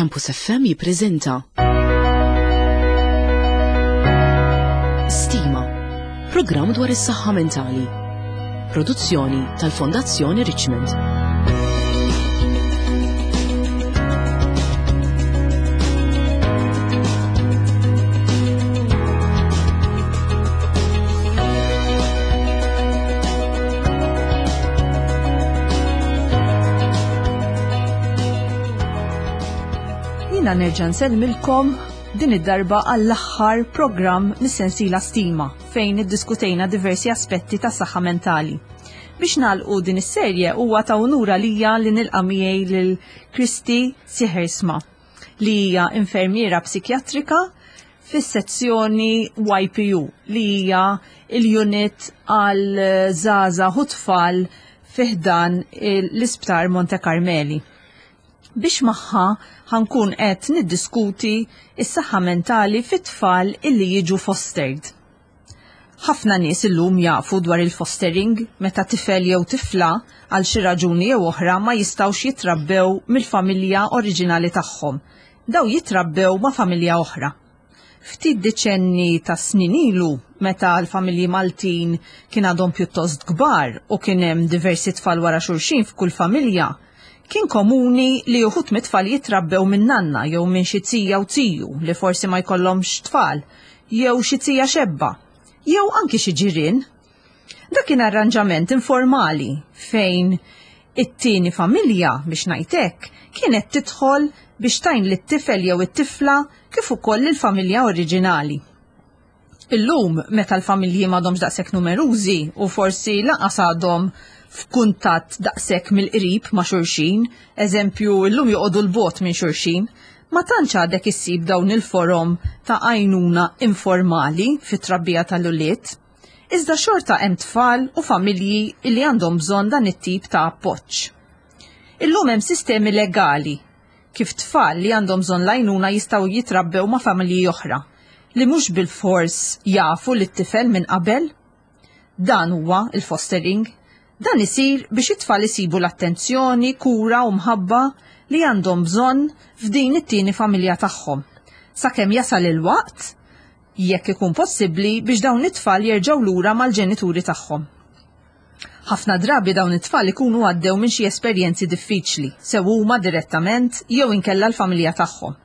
Campus FM jippreżenta Stima, programm dwar is-saħħa mentali. Produzzjoni tal-Fondazzjoni Richmond. Jina nerġa' nsellmilkom din id-darba għall-aħħar programm mis-sensiela Stima fejn iddiskutejna diversi aspetti ta' saħħa mentali. Biex nagħlqu din is-serje huwa ta' unura lija li nilqa' miegħi lil Kristi Sihersma li hija infermiera psikjatrika fis-sezzjoni YPU li hija l-unit għal żgħażagħ u tfal fi ħdan l-Isptar Monte Carmeli. Biex magħha ħankun qed niddiskuti s-saħħa mentali fit-tfal illi jiġu fostered. Ħafna nies illum jafu dwar il-fostering meta tifel jew tifla għal xi raġuni jew oħra ma jistgħux jitrabbew mill-familja oriġinali tagħhom. Daw jitrabbew ma' familja oħra. Ftit deċenni ta' snin ilu, meta l-familji Maltin kien għadhom pjuttost kbar u kien hemm diversi tfal wara xulxin f'kull familja, kien komuni li uħud mit-tfal jitrabbew minn nanna jew minn xi zija u ziju li forsi ma jkollhomx tfal, jew xi zija xebba, jew anki xi ġirien. Dak kien arranġament informali fejn it-tieni familja, biex ngħid hekk, kienet tidħol biex tgħin lit-tifel jew it-tifla kif ukoll lill-familja oriġinali. Illum, meta l-familji m'għadhomx daqshekk numerużi u forsi lanqas għadhom f'kuntatt daqshekk mill-qrib ma' xulxin, eżempju illum joqogħdu 'l bogħod minn xulxin, ma tantx għadek issib dawn il-forom ta' għajnuna informali fit-trabbija tal-ulied. Iżda xorta hemm tfal u familji li għandhom bżonn dan it-tip ta' appoġġ. Illum hemm sistemi legali kif tfal li għandhom bżonn l-għajnuna jistgħu jitrabbew ma' familji oħra li mhux bilfors jafu lit-tifel minn qabel. Dan huwa l-fostering. Dan isir biex it-tfal isibu l-attenzjoni, kura u mħabba li għandhom bżonn f'din it-tieni familja tagħhom, sakemm jasal il-waqt, jekk ikun possibbli, biex dawn it-tfal jerġgħu lura mal-ġenituri tagħhom. Ħafna drabi dawn it-tfal ikunu għaddew minn xi esperjenzi diffiċli, sew huma direttament jew inkella l-familja tagħhom.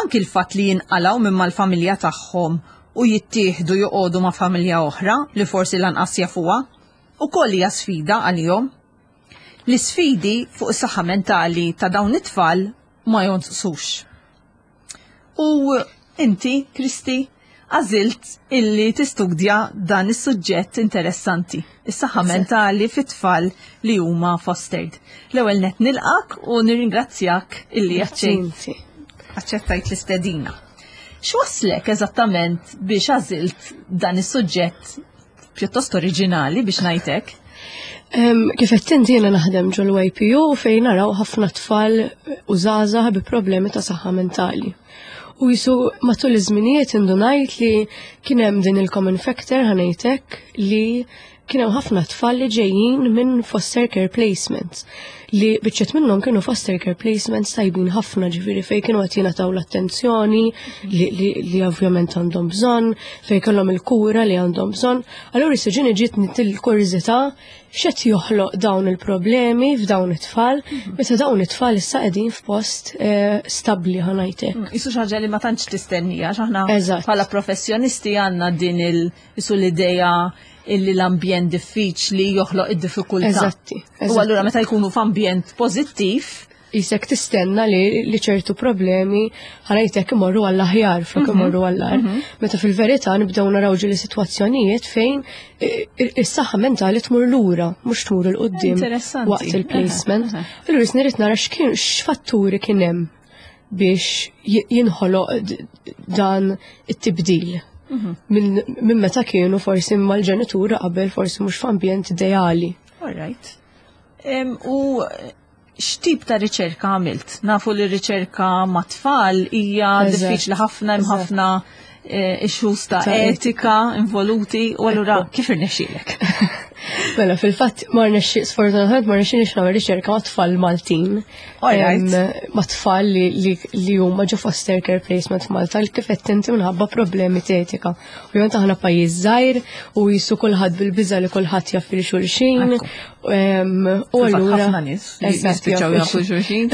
Anki l-fatt li jinqalgħu minn mal-familja tagħhom u jittieħdu joqogħdu ma' familja oħra li forsi lanqas jafuha, ukoll hija sfida għalihom. L-isfidi fuq is-saħħa mentali ta' dawn it-tfal ma jonqsux. U inti, Kristi, għażilt illi tistudja dan is-suġġett interessanti, is-saħħa mentali fit-tfal li huma fostered. L-ewwel net nilqak u nirringrazzjak illi aċċettajt l-istedina. X'waslek eżattament biex għażilt dan is-suġġett pjuttost oriġinali biex ngħidlek? Kif qed inti jiena naħdem ġol YPU fejn naraw ħafna tfal u żgħażagħ bi problemi ta' saħħa mentali. U jisu matul iż-żminijiet indunajt li kien hemm din il-common factor ħanejtek li kien hemm ħafna tfal li ġejjin minn foster care placements li biċċet minnhom kienu foster care placements tajbin ħafna ġifieri fejn kienu qed jingħataw l-attenzjoni li, li, li ovvjament għandhom bżonn, fejn kellhom il-kura li għandhom bżonn. Allura issa ġieni ġiet il-kurżità x'qed joħloq dawn il-problemi f'dawn it-tfal, meta dawn it-tfal issa qegħdin f'post eh, stabbli ħanajtek. Mm, isu xi ħaġa li ma tantx tistennija, x'aħna bħala professjonisti għandna din il isu l-idea illi l-ambjent diffiċli joħloq id-diffikultà. Eżatti. U allura meta jkunu f'ambjent pożittiv, jisek tistenna li, li ċertu problemi ħanajtek imorru għall-aħjar flok mhm. imorru għall-ar. Mhm. Meta fil-verità nibdew naraw ġili sitwazzjonijiet fejn is-saħħa mentali tmur lura, mhux tmur il qudiem waqt il-placement. Allura nirid nara x'fatturi kien hemm biex jinħoloq dan it-tibdil. Mhm. Minn meta kienu forsi mal-ġenitura qabel forsi mhux f'ambjent ideali. All right. U x'tip ta' riċerka għamilt? Nafu li riċerka ma' tfal hija diffiċli ħafna hemm ħafna eh, issues ta' etika involuti u allura kif irnexxielek? Mela, fil-fatt, ma rnexxi, sfortunatament ma rnexxinix nagħmel riċerka ma' tfal Maltin. Ma' tfal li huma ġo foster care placement f'Malta li kif qed inti minħabba problemi t'etika. Ovvjament aħna pajjiż żgħir u jisu kulħadd bil-biża li kulħadd jaf lil xulxin. U allura ħafna nies jispiċċaw jafu xulxin.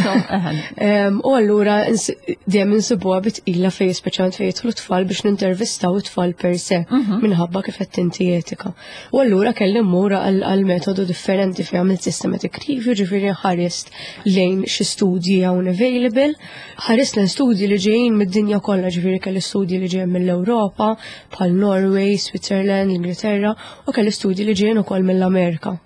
U allura dejjem insibuha bitqila fejn speċjalment fejn jidħlu tfal biex nintervistaw it-tfal per se minħabba kif qed inti etika. U allura kelli mmur għal metodu differenti fejn għamilt systematic review, ġifieri ħarist lejn xi studji hawn available, ħarist lejn studji li ġejjin mid-dinja kollha, ġifieri kelli studji li ġejjin mill-Ewropa, bħal Norway, Switzerland, l-Ingilterra, u kelli studji li ġejjin ukoll mill-Amerika.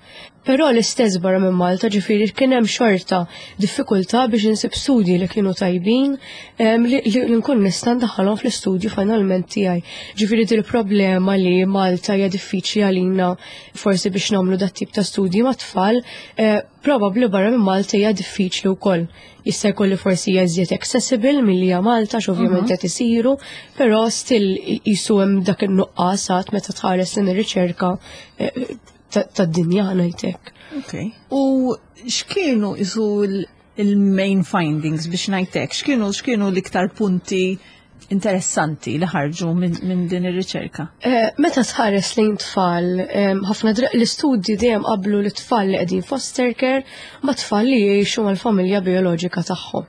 Però l-istess barra minn Malta, ġifieri kien hemm xorta diffikultà biex insib studji li kienu tajbin li nkun nista' ndaħħalhom fl-istudju finalment tiegħi. Ġifieri dil problema li Malta hija diffiċli għalina forsi biex nagħmlu dat tip ta' studji ma' tfal, probabbli barra minn Malta hija diffiċli wkoll. Jista' jkun li forsi hija iżjed accessible milli hija Malta, x'ovvjament qed isiru, però still jisu hemm dak in-nuqqas għad meta tħares lejn ir-riċerka tad-dinja ngħidlek. Ok. U x'kienu isu il-main findings biex ngħidlek? X'kienu l-iktar punti interessanti li ħarġu minn din ir-riċerka? Meta tħares lejn tfal, ħafna l-istudji dejjem qablu li tfal li qegħdin foster care ma' tfal li jgħixu mal-familja bioloġika tagħhom.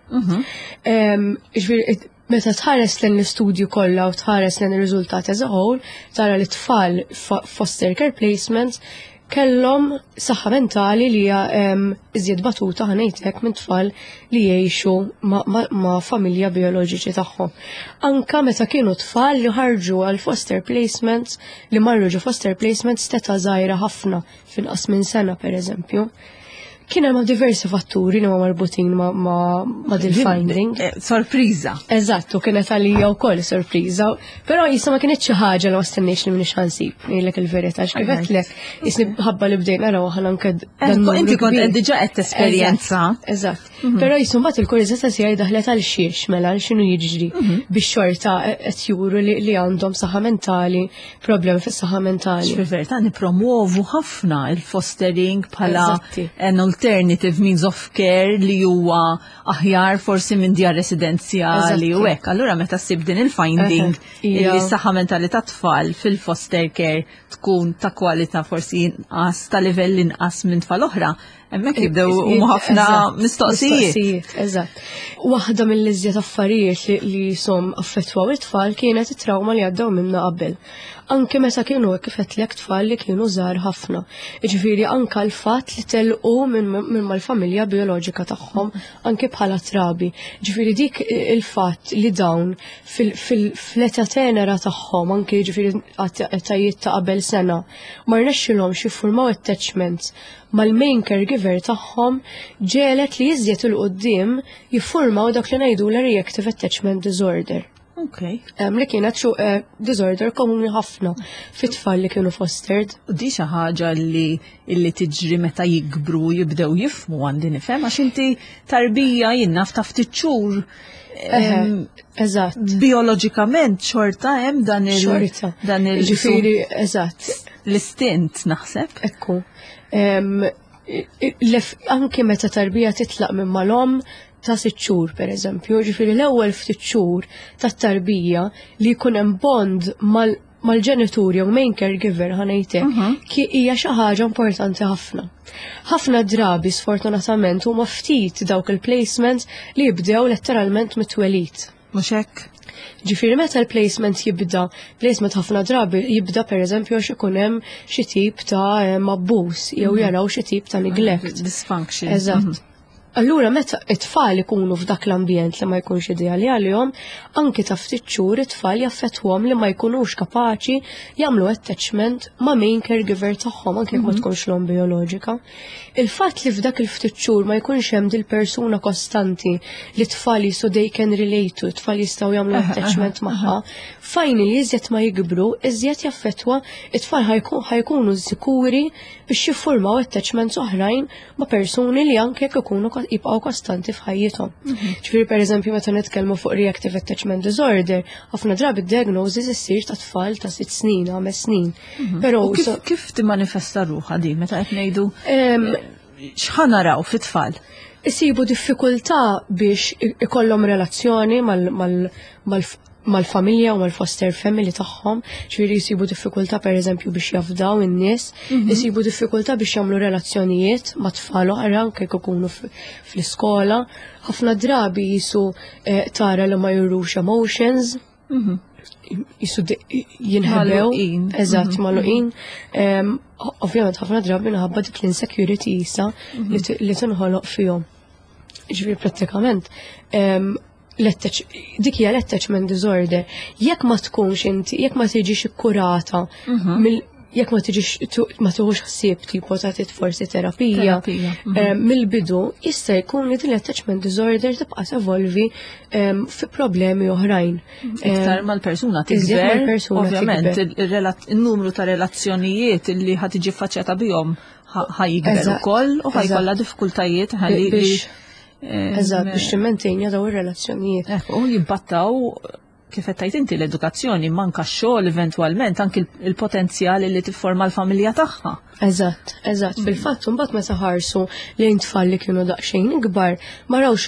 Ġifieri, meta tħares lejn l-istudju kollha u tħares lejn ir-riżultati as a whole, tara li tfal foster care placements kellhom saħħa mentali li hija iżjed batuta ħa ngħidlek minn tfal li jgħixu ma' familja bioloġiċi tagħhom. Anka meta kienu tfal li ħarġu għal foster placements, li marru ġo foster placements t'età żgħira ħafna, finqas minn sena per eżempju. Kien hemm diversi fatturi li ma marbutin ma dil finding. Sorpriża. Eżatt, u kienet għalija wkoll sorpriża, però jisa ma kienet xi ħaġa li ma stennejx li minix ħansib, ngħidlek il-verità, x'kif qedlek, jisni ħabba li bdejna naraw aħna anke dan numru Inti kont kbir. qed diġà qed tesperjenza. Eżatt. Però jisu mbagħad il-kurżità tiegħi daħlet għal xiex mela għal x'inhu jiġri biex xorta qed juru li għandhom saħħa mentali, problemi fis-saħħa mentali. Fil-verità nipromuovu ħafna il-fostering bħala an alternative means of care li huwa aħjar forsi minn djar residenzjali u hekk. Allura meta ssib din il-finding li s-saħħa mentali ta' tfal fil-foster care tkun ta' kwalità forsi inqas, ta' livell inqas minn tfal oħra, hemmhekk jibdew huma ħafna mistoqsijiet. Mistoqsijiet, eżatt. Waħda mill-iżjed affarijiet li jisom affettwaw it-tfal kienet it-trauma li għaddew minna qabel. Anke meta kienu kif qedlek tfal li kienu żgħar ħafna. Jiġifieri anke l-fatt li telqu minn mal-familja bioloġika tagħhom anke bħala trabi. Ġifieri dik il-fatt li dawn fl-età tenera tagħhom anke ġifieri etajiet ta' qabel sena ma rnexxilhomx jiffurmaw attachments mal-main caregiver tagħhom ġelet li iżjed 'il quddiem jiffurmaw dak li ngħidu la reactive attachment disorder. Li kienet xu disorder komuni ħafna fit-tfal li kienu fostered. U di xi ħaġa li tiġri meta jikbru jibdew jifmu għandi nifhem għax inti tarbija jien naf ta' ftit xhur. Eżatt. Bioloġikament xorta hemm dan il- dan il- Ġifieri, eżatt. L-istint naħseb. Ekku. Anki meta tarbija titlaq minn mal-omm ta' 6 xhur, per eżempju, ġifieri l-ewwel ftit xhur tat-tarbija li jkun hemm bond mal-ġenitur jew main caregiver ħa ngħidlek, ki hija xi ħaġa importanti ħafna. Ħafna drabi sfortunatament huma ftit dawk il-placements li jibdew letteralment mit-twelid. Mhux hekk? Ġifieri meta l-placement jibda, placement ħafna drabi jibda per eżempju għax ikun hemm xi tip ta' abbuż jew jaraw xi tip ta' neglect. Dysfunction. Eżatt. Allura meta it-tfal ikunu f'dak l-ambjent li ma jkunx ideali għalihom, anki ta' ftit xhur it-tfal jaffettwhom li ma jkunux kapaċi jagħmlu attachment ma' main caregiver tagħhom anke jekk ma tkunx l-omm bioloġika. Il-fatt li f'dak il-ftit xhur ma jkunx hemm dil-persuna kostanti li t-tfal jisu they can relate to, it-tfal jistgħu jagħmlu attachment magħha, finally iżjed ma jikbru, iżjed jaffettwa it-tfal ħajkunu sikuri biex jiffurmaw attachments oħrajn ma' persuni li anke jekk ikunu jibqgħu kostanti f'ħajjithom. Ġifieri pereżempju meta nitkellmu fuq reactive attachment disorder, ħafna drabi d-diagnosis issir ta' tfal ta' 6 snin, 5 snin. Però U kif, kif timmanifesta ruħha di meta qed ngħidu x'ħa naraw fit-tfal? Isibu diffikultà biex ikollhom relazzjoni mal-familja u mal-foster family tagħhom, ġifieri jsibu diffikultà pereżempju biex jafdaw in-nies, isibu diffikultà biex jagħmlu relazzjonijiet ma' tfal oħra anke jekk ikunu fl-iskola. Ħafna drabi jisu tara li ma jurux emotions, jisu jinħebew, eżatt, magħluqin. Ovvjament ħafna drabi minħabba dik l-insecurity jisa li tinħoloq fihom. Ġifieri prattikament dik hija l-attachment disorder. Jekk ma tkunx inti, jekk ma tiġix ikkurata, jekk ma tiġix ma tuħux ħsieb tipo ta' forsi terapija, Terapija, mill-bidu jista' jkun li din l-attachment disorder tibqa' tevolvi fi problemi oħrajn. Iktar mal-persuna Iżjed tikber, mal-persuna ovvjament, tikber. il-numru ta' relazzjonijiet li ħa tiġi faċċjata bihom ħa jikber ukoll u ħa jkollha diffikultajiet ħalli Eżatt, biex timmentenja daw ir-relazzjonijiet. Ekku, u jibbattaw kif qed tgħid inti l-edukazzjoni, manka x-xogħol eventwalment, anki il-potenzjal li tifforma l-familja tagħha. Eżatt. Fil-fatt, mbagħad meta ħarsu lejn tfal li kienu daqsxejn ikbar, ma rawx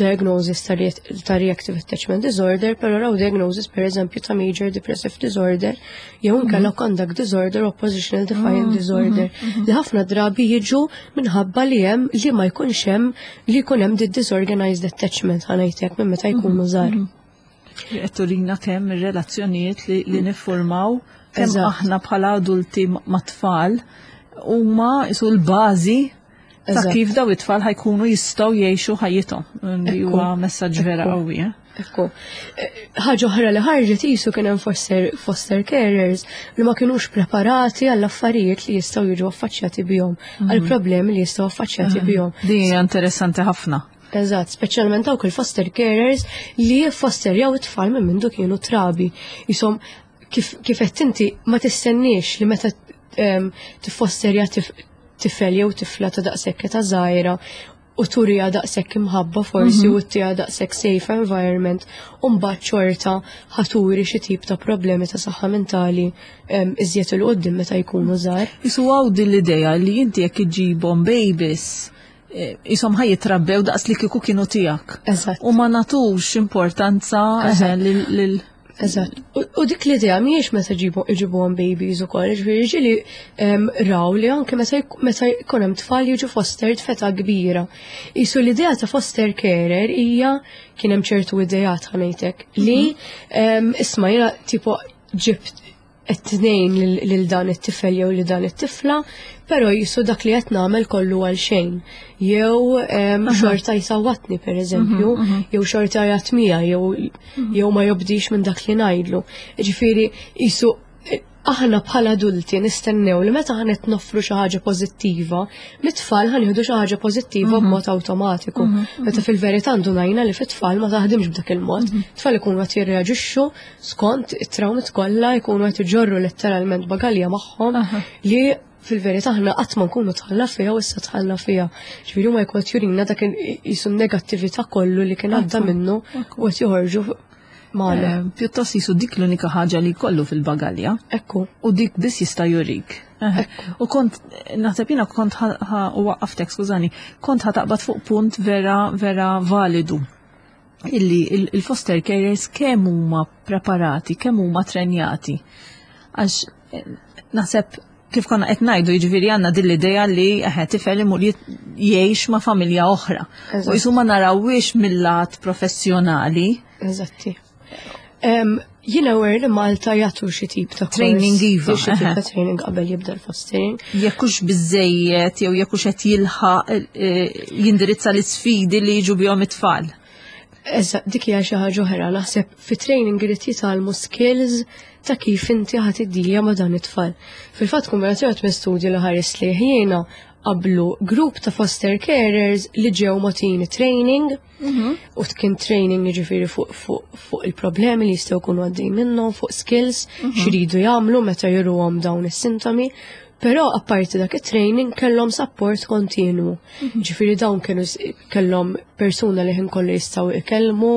diagnosis ta' reactive attachment disorder, però raw diagnosis per eżempju ta' major depressive disorder, jew inkella conduct disorder, oppositional defiant disorder, li ħafna drabi jiġu minħabba li hemm li ma jkunx hemm li jkun hemm di disorganized attachment ħa ngħidlek minn meta jkunu żgħar. Li qed turina kemm ir-relazzjonijiet li niffurmaw, kemm aħna bħala adulti ma' tfal huma isu l-bażi ta' kif daw it-tfal ħa jkunu jistgħu jgħixu ħajjithom. Li huwa messaġġ vera qawwi. Ekku. Ħaġa oħra li ħarġet jisu kien hemm foster carers li ma kienux preparati għall affarijiet li jistgħu jiġu affaċċjati bihom, għall problemi li jistgħu affaċċjati bihom. Din hija interessanti ħafna. Eżatt, speċjalment dawk il-foster carers li fosterjaw it-tfal minn mindu kienu trabi. Jisom kif qed inti ma tistenniex li meta tiffosterja tifel jew tifla ta' daqshekk ta' żgħira u turija daqshekk imħabba forsi u tija daqshekk safe environment u mbagħad xorta ħa turi xi tip ta' problemi ta' saħħa mentali iżjed 'il quddiem meta jkunu żgħar. Isu hawn din l-idea li inti jekk iġġibhom babies jisom ħa jitrabbew daqs li kieku kienu tiegħek. U ma nagħtux importanza lil Eżatt. U dik l-idea mhijiex meta iġibuhom babies ukoll, ġifieri ġieli raw li anke meta jkun hemm tfal jiġu fostered f'età kbira. Isu l-idea ta' foster carer hija kien hemm ċertu ideat ħa ngħidlek li isma' jiena tipo ġibt it-tnejn lil dan it-tifel jew li dan it-tifla, però jisu dak li qed nagħmel kollu għal xejn. Jew xorta jsawwatni per eżempju, jew xorta jgħatmija, jew ma jobdix minn dak li ngħidlu. Ġifieri jisu aħna bħala adulti nistennew li meta ħa noffru xi ħaġa pożittiva, mit-tfal ħa nieħdu xi ħaġa pożittiva b'mod awtomatiku. Meta fil-verità ndunajna li fit-tfal ma taħdimx b'dak il-mod. Tfal ikunu qed jirreaġixxu skont it-trawmit kollha, jkunu qed iġorru letteralment bagalja magħhom li fil-verità aħna qatt ma nkunu tħalla fiha u issa tħalla fiha. Ġifieri huma jkun qed jurina dak jisu negattività kollu li kien għadda minnu u qed joħorġu magħna. Pjuttost jisu dik l-unika ħaġa li jkollu fil-bagalja. U dik biss jista' jurik. U kont, naħseb jiena kont u waqqaftek, skużani, kont ħa taqbad fuq punt vera, vera validu. Illi il-foster carers kemm huma preparati, kemm huma trenjati. Għax naħseb kif konna qed ngħidu, jiġifieri għandna din l-idea li eħe tifel imur jgħix ma' familja oħra. U jisu ma narawhiex mill-lat professjonali. Eżatti. Jiena aware li Malta jagħtu xi tip ta' kors, Training iva, xi tip ta' eħe. training qabel jibda l-fostering. Jekk hux biżejjed jew jekk hux qed jilħaq jindirizza l-isfidi li jiġu bihom it-tfal. Eżatt, dik hija xi ħaġa oħra, naħseb fi training irid jitgħallmu skills ta' kif inti ħa tiddilja ma' dan it-tfal. Fil-fatt kombinazzjoni minn studju li ħares li jiena qablu grupp ta' foster carers li ġew mogħtini training u kien training jiġifieri fuq il-problemi li jistgħu jkunu għaddejn minnhom, fuq skills, x'iridu jagħmlu meta juruhom dawn is-sintomi. Però apparti dak it-training kellhom support kontinwu. Ġifieri dawn kienu kellhom persuna li ħin kollu jistgħu ikellmu,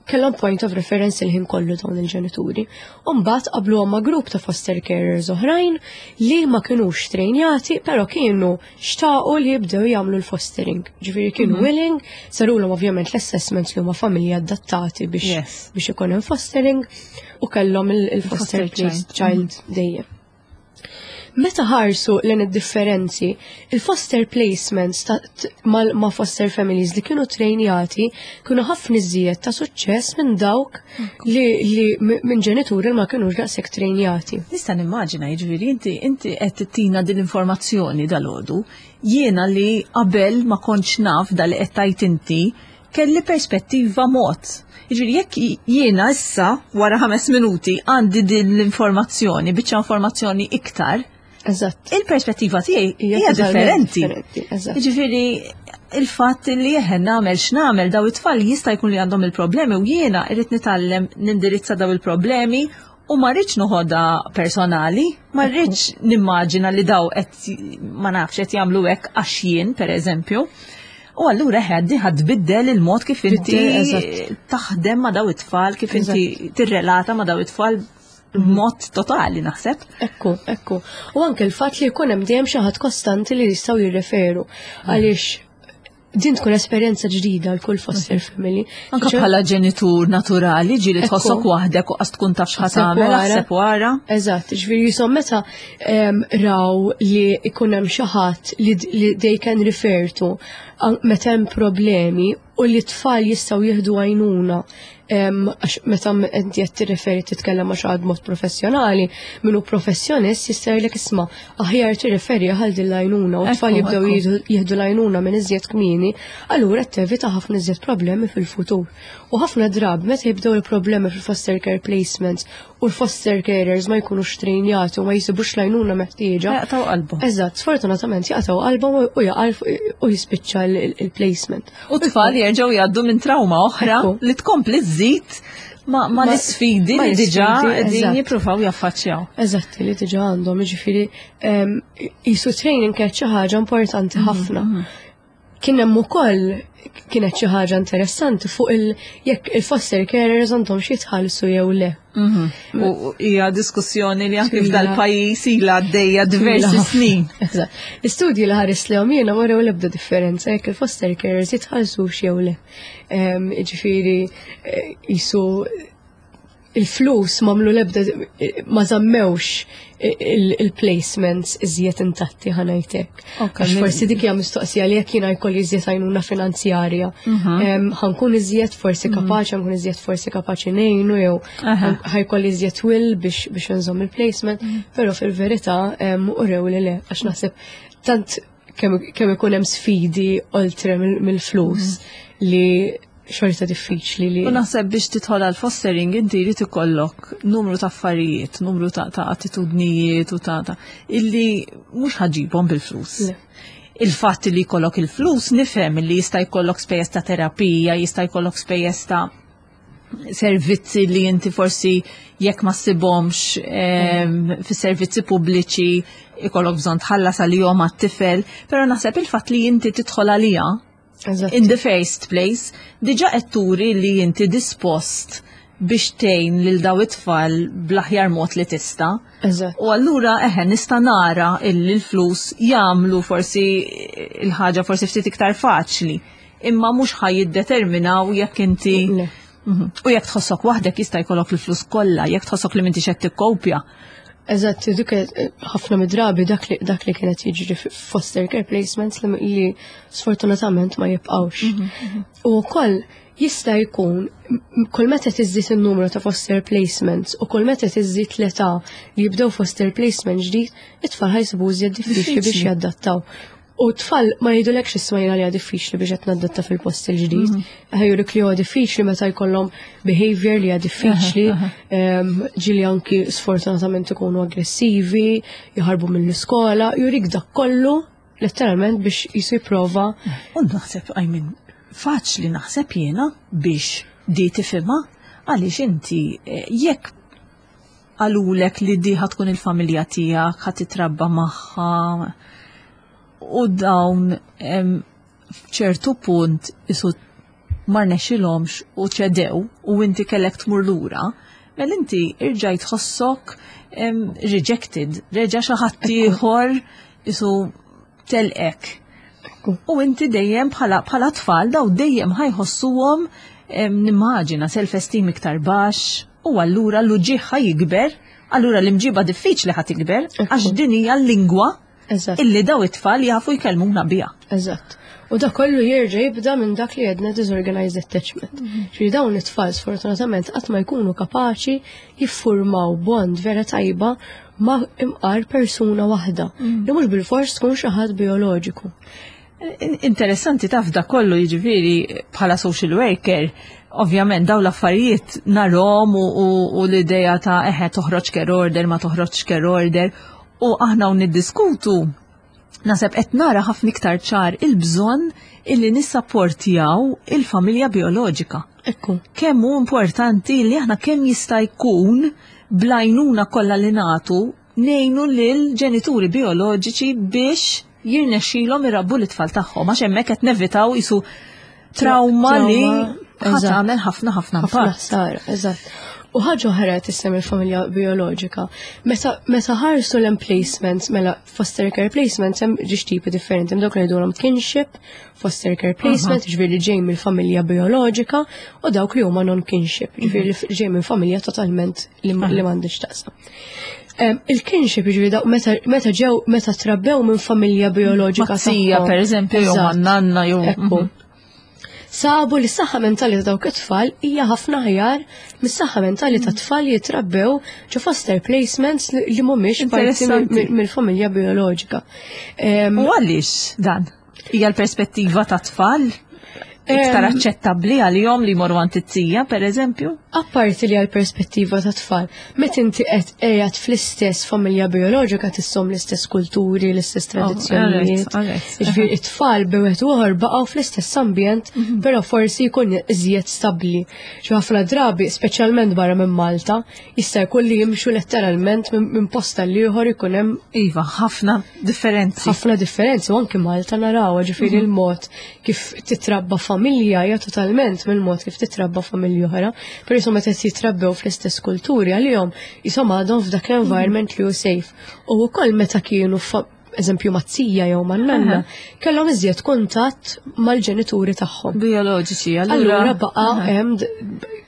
kellhom point of reference il-ħin kollu dawn il-ġenituri. U mbagħad qabluhom ma' grupp ta' foster carers oħrajn li ma kinux trejnjati, però kienu xtaqu li jibdew jagħmlu l-fostering. Ġifieri kienu willing, sarulhom ovvjament l-assessments li huma familji adattati biex biex ikun hemm fostering u kellhom il-foster child, child dejjem. Meta ħarsu lejn id-differenzi, il-foster placements ma' foster families li kienu trejnjati kienu ħafna iżjed ta' suċċess minn dawk li minn ġenituri li ma kienux daqshekk trejnjati. Nista' nimmaġina, jiġifieri inti qed tittina din l-informazzjoni dalgħodu, jiena li qabel ma kontx naf dal qed tgħid inti, kelli perspettiva mod. Jiġifieri jekk jiena issa wara 5 minuti għandi din l-informazzjoni, biċċa informazzjoni iktar, il-perspettiva tiegħi hija differenti. Jiġifieri il-fatt li jeħen nagħmel x'nagħmel daw it-tfal jista' jkun li għandhom il-problemi u jiena irrid nitgħallem nindirizza daw il-problemi u ma rridx noħodha personali, ma rridx nimmaġina li daw qed, ma nafx, qed jagħmlu hekk għax jien, pereżempju. U allura ħaddi ħad tbiddel il-mod kif inti taħdem ma' daw it-tfal, kif inti tirrelata ma' daw it-tfal b'mod totali, naħseb. Ekku. U anke l-fatt li jkun hemm dejjem xi ħadd kostanti li jistgħu jirreferu għaliex din tkun esperjenza ġdida għal kull foster family. Anka bħala ġenitur naturali ġieli tħossok waħdek u qas tkun taf x'ħa tagħmel, aħseb wara. Eżatt, ġifieri jisom meta raw li ikun hemm xi ħadd li they can refer to meta hemm problemi u li tfal jistgħu jieħdu għajnuna, għax meta inti qed tirreferi, titkellem ma' xi ħadd mod professjonali, minnu professjonist jista' jgħidlek, "Isma', aħjar tirreferi għal din l-għajnuna", u tfal jibdew jieħdu l-għajnuna minn iżjed kmieni, allura tevita ħafna iżjed problemi fil-futur. U ħafna drabi meta jibdew il-problemi fil-foster care placements u l-foster carers ma jkunux trejnjati u ma jisibux l-għajnuna meħtieġa. Jaqtgħu qalbhom. Eżatt, sfortunatament jaqtgħu qalbhom u jaqal u jispiċċa il-placement. U tfal jerġgħu jgħaddu minn trauma oħra li tkompli żżid ma l-isfidi li diġà qegħdin jippruvaw jaffaċċjaw. Eżatt, li diġà għandhom, jiġifieri jisu training kienet xi ħaġa importanti ħafna. Kien hemm ukoll kienet xi ħaġa interessanti fuq il jekk il-foster carers għandhom xi jitħallsu jew le. U hija diskussjoni li anke f'dal-pajjiż ilha għaddejja diversi snin. Eżatt. L-istudji li ħares li jiena wrew l-ebda differenza jekk il-foster carers jitħallsux jew le. Ġifieri jisu il-flus m'għamlu lebda, ma żammewx il-placements iżjed intatti, ħa ngħidlek. Għax forsi dik hija mistoqsija li jekk jiena jkolli iżjed għajnuna finanzjarja, ħa nkun iżjed forsi kapaċi, ħa nkun iżjed forsi kapaċi ngħinu jew ħa jkolli iżjed will biex nżomm il-placement, però fil-verità urew li le, għax naħseb tant kemm ikun hemm sfidi oltre mill-flus li xorta diffiċli li. U naħseb biex tidħol għal fostering inti jrid ikollok numru ta' affarijiet, numru ta' attitudnijiet u ta' illi mhux ħa ġġibhom bil-flus. Il-fatt li jkollok il-flus nifhem li jista' jkollok spejjeż ta' terapija, jista' jkollok spejjeż ta' servizzi li inti forsi jekk ma ssibhomx fis-servizzi pubbliċi ikollok bżonn tħallas għalihom għat-tifel, però naħseb il-fatt li inti tidħol għalija in the first place, diġa qed turi li inti dispost biex tgħin lil daw it-tfal bl-aħjar mod li tista'. U allura eħe nista' nara illi l-flus jagħmlu forsi il-ħaġa forsi ftit iktar faċli, imma mhux ħa jiddeterminaw jekk inti. U jekk tħossok waħdek jista' jkollok il-flus kollha, jekk tħossok li m'intix qed tikkopja. Eżatt, dik ħafna mid-drabi dak li kienet jiġri foster care placements li sfortunatament ma jibqawx. U wkoll jista' jkun kull meta tiżdied in-numru ta' foster placements u kull meta tiżdied l-età li jibdew foster placement ġdid, it-tfal ħa jsibu iżjed diffiċli biex jadattaw. U tfal ma jgħidulekx, "Isma', jiena li diffiċli biex qed nadatta fil-post il-ġdid." Ħa jurik li huwa diffiċli meta jkollhom behavior li hija diffiċli, ġieli anki sfortunatament ikunu aggressivi, jaħarbu mill-iskola, jurik dak kollu letteralment biex jisu jipprova. U naħseb, I mean, faċli naħseb jiena biex di tifhimha għaliex inti jekk. qalulek li di ħa tkun il-familja tiegħek, ħa titrabba magħha u dawn f'ċertu punt isu ma rnexxilhomx u ċedew u inti kellek tmur lura, mela inti irġajt tħossok rejected, reġa' xi ħadd ieħor isu telqek. U inti dejjem bħala tfal daw dejjem ħa jħossuhom, nimmaġina, self-esteem iktar baxx u allura l-uġigħ ħa jikber, allura l-imġiba diffiċli ħa tikber għax din hija l-lingwa illi daw it-tfal jafu jkellmuna biha. Eżatt. U da kollu jerġa' jibda minn dak li għedna disorganized attachment. Ġifieri dawn it-tfal sfortunatament qatt ma jkunu kapaċi jiffurmaw bond vera tajba ma' imqar persuna waħda li mhux bil-fors tkun xi ħadd bioloġiku. Interessanti taf da kollu, jiġifieri bħala social worker, ovvjament daw l-affarijiet narahom u l-ideja ta' eħe toħroġ care order, ma toħroġ care order, u aħna u niddiskutu naħseb qed nara ħafna iktar ċar il-bżonn illi nissapportjaw il-familja bioloġika. Kemm hu importanti li aħna kemm jista' jkun bl-għajnuna kollha li nagħtu ngħinu lil ġenituri bioloġiċi biex jirnexxilhom irabbu l-itfal tagħhom, għax hemmhekk qed nevitaw isu trauma li ħa tagħmel ħafna ħafna ħafna ħsara, eżatt. U ħaġa oħra tisem il-familja bioloġika. Meta ħarsu l-emplacements, mela foster care placements hemm ġiex tipi differenti, hemm dawk li jgħidulhom kinship, foster care placement, ġifieri li ġej mill-familja bioloġika, u dawk li huma non-kinship, ġifieri li ġej minn familja totalment li m'għandix taqsam. Il-kinship, ġifieri dawk meta ġew, meta trabbew minn familja bioloġika Maz-zija, tagħhom. per eżempju, jew man-nanna, jew Ekku. Sabu li s-saħħa mentali ta' dawk it-tfal hija ħafna aħjar mis-saħħa mentali ta' tfal li jitrabbew ġo foster placements li mhumiex parti mill-familja bioloġika. U għaliex dan? Hija l-perspettiva ta' tfal iktar aċċettabbli għalihom li jmorru għand it-tija, per eżempju? Apparti li għal perspettiva ta' tfal, meta inti qed qiegħed fl-istess familja bioloġika tissom l-istess kulturi, l-istess tradizzjonijiet. Ġifieri it-tfal b'wieħed ieħor baqgħu fl-istess ambjent, però forsi jkun iżjed stabbli. Xi ħafna drabi, speċjalment barra minn Malta, jista' jkun li jimxu letteralment minn posta l ieħor ikun hemm Iva, ħafna differenzi. Ħafna differenzi, u anki Malta naraw, ġifieri il-mod kif titrabba familja hija totalment mill-mod kif titrabba familja oħra. Però jisom meta jitrabbew fl-istess kulturi għalihom jisom għadhom f'dak l-environment li hu safe. U wkoll meta kienu eżempju maz-zija jew man-nanna, kellhom iżjed kuntatt mal-ġenituri tagħhom. Bioloġiċi, allura. Allura baqa' hemm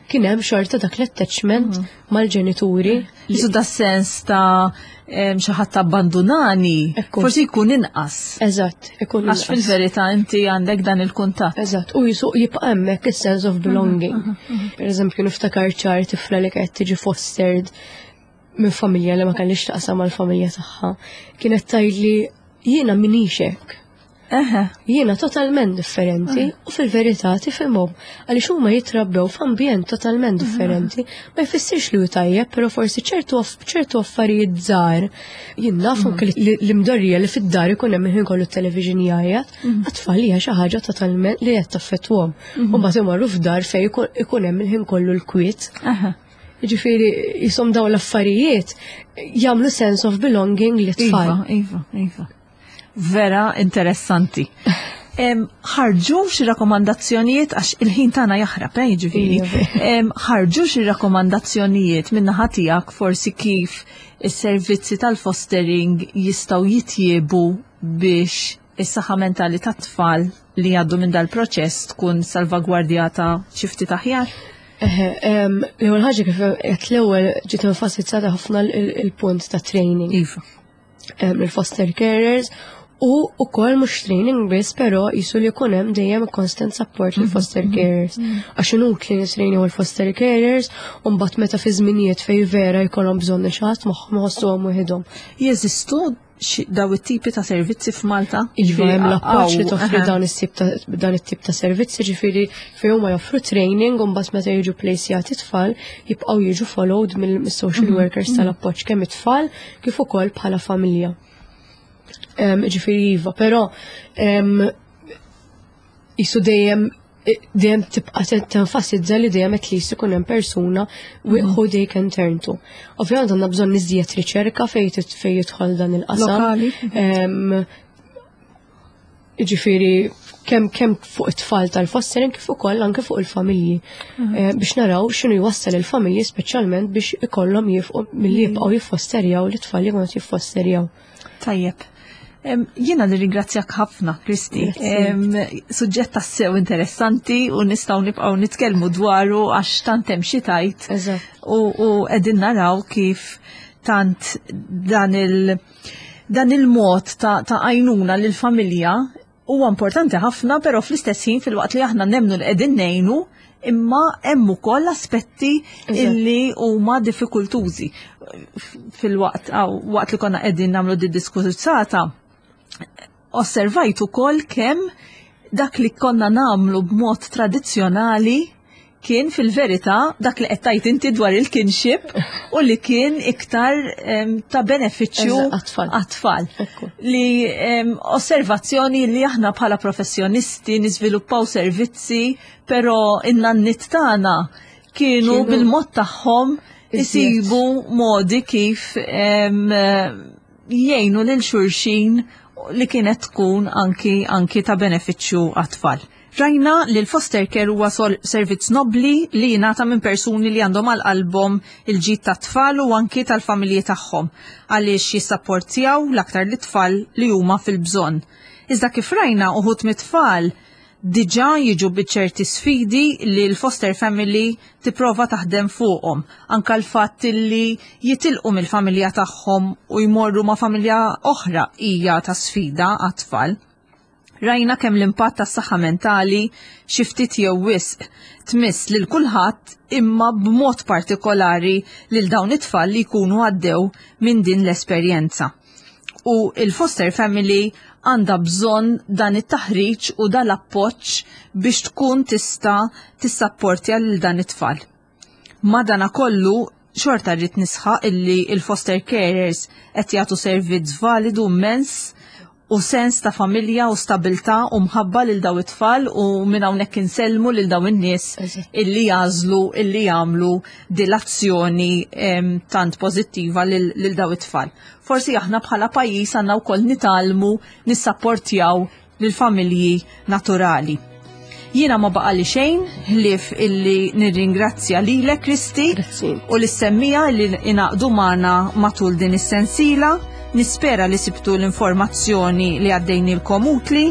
kien hemm xorta dak l-attachment mal-ġenituri. Jisu da sens ta' xi ħadd abbandunani, forsi jkun inqas. Eżatt, ikun Għax inqas. fil-verità inti għandek dan il-kuntatt. Eżatt, u jisu jibqa' hemmhekk is-sense of belonging. Per eżempju, niftakar ċar tifla li kienet tiġi fostered minn familja li ma kellix taqsam mal-familja tagħha. Kienet tgħidli jiena minix hekk. Jiena totalment differenti u fil-verità tifhimhom għaliex huma jitrabbew f'ambjent totalment differenti. Ma jfissirx li hu tajjeb, però forsi ċertu affarijiet żgħar jien naf anke l-imdorrija li fid-dar ikun hemm il-ħin kollu t-television jgħajjat, għat-tfal hija xi ħaġa totalment li qed taffettwhom. U mbagħad imorru f'dar fejn ikun hemm il-ħin kollu l-kwiet. Ġifieri jisom dawn l-affarijiet jagħmlu sense of belonging li tfal. Iva, iva, iva. Vera interessanti. Ħarġu xi rakkomandazzjonijiet, għax il-ħin tagħna jaħrab, jiġifieri. Ħarġu xi rakkomandazzjonijiet min-naħa tiegħek forsi kif is-servizzi tal-fostering jistgħu jitjiebu biex is-saħħa mentali tat-tfal li jgħaddu minn dal-proċess tkun salvagwardjata xi ftit aħjar? L-ewwel ħaġa kif qed l-ewwel ġiet enfasizzata ħafna il-punt ta' training. Il-foster carers u ukoll mhux training biss, però jisu li jkun hemm dejjem constant support lil foster carers. Għax inutli nitrejnu l-foster carers u mbagħad meta fi żminijiet fejn vera jkollhom bżonn xi ħadd magħhom iħossuhom waħedhom. Jeżistu daw it-tipi ta' servizzi f'Malta? Iva, Ġifieri hemm l-appoġġ li toffri dan it-tip ta' servizzi, ġifieri fejn huma joffru training u mbagħad meta jiġu plejsjati tfal jibqgħu jiġu followed mill-social workers tal-appoġġ kemm it-tfal kif ukoll bħala familja. Ġifieri iva, però jisu dejjem dejjem tibqa' tenfasizza li dejjem at least ikun hemm persuna who they can turn to. Ovvjament għandna bżonn iżjed riċerka fejn jidħol dan il-qasam. Ġifieri kemm kemm fuq it-tfal tal-fostering kif ukoll anke fuq il-familji. Eh, biex naraw x'inhu jwassal il-familji speċjalment biex ikollhom jifqu milli mhm. jibqgħu jiffosterjaw l-itfal li jkunu jiffosterjaw. Tajjeb. Jiena nirringrazzjak ħafna, Kristi. Suġġett tassew interessanti u nistgħu nibqgħu nitkellmu dwaru għax tant hemm xi tajt. U qegħdin naraw kif tant dan il- dan il-mod ta' għajnuna lil familja huwa importanti ħafna, però fl-istess ħin fil-waqt li aħna nemnu li qegħdin ngħinu, imma hemm ukoll aspetti illi huma diffikultużi. Fil-waqt waqt li konna qegħdin nagħmlu di diskursata, osservajt ukoll kemm dak li konna nagħmlu b'mod tradizzjonali kien fil-verità dak li qed tgħid inti dwar il-kinship u li kien iktar ta' benefiċċju għat-tfal. Li osservazzjoni li aħna bħala professjonisti niżviluppaw servizzi, però in-nannit tagħna kienu bil-mod tagħhom isibu modi kif jgħinu lil xulxin li kienet tkun anki anki ta' benefiċċju għat-tfal. Rajna li l-foster care huwa servizz nobbli li jingħata minn persuni li għandhom għal qalbhom il-ġid tat-tfal u anki tal-familji tagħhom għaliex jissapportjaw l-aktar lit-tfal li huma fil-bżonn. Iżda kif rajna uħud mit-tfal diġà jiġu bi ċerti sfidi li l-foster family tipprova taħdem fuqhom. Anka l-fatt li jitilqu mill-familja tagħhom u jmorru ma' familja oħra hija ta' sfida għat-tfal. Rajna kemm l-impatt tas-saħħa mentali xi ftit jew wisq tmiss lil kulħadd imma b'mod partikolari lil dawn it-tfal li jkunu għaddew minn din l-esperjenza. U il-foster family għandha bżonn dan it-taħriġ u dan l-appoġġ biex tkun tista' tissapportja lil dan it-tfal. Madanakollu, xorta rrid nisħaq illi il-foster carers qed jagħtu servizz validu immens u sens ta' familja u stabilta u mħabba lil daw it-tfal u minn hawnhekk insellmu lil daw in-nies illi jagħżlu illi jagħmlu dil-azzjoni tant pożittiva lil daw it-tfal. Forsi aħna bħala pajjiż għandna wkoll nitgħallmu nissapportjaw lill-familji naturali. Jiena ma baqali xejn ħlief illi nirringrazzja lilek Kristi u lis-semmija li ingħaqdu magħna matul din is-sensila. Nispera li sibtu l-informazzjoni li għaddejnilkom utli.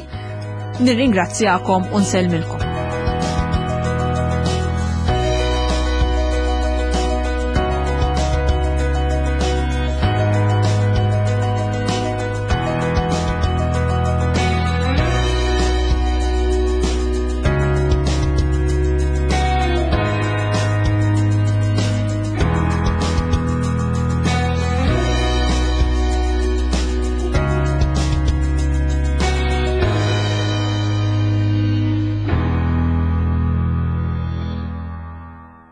Nirringrazzjakom u nsellmilkom.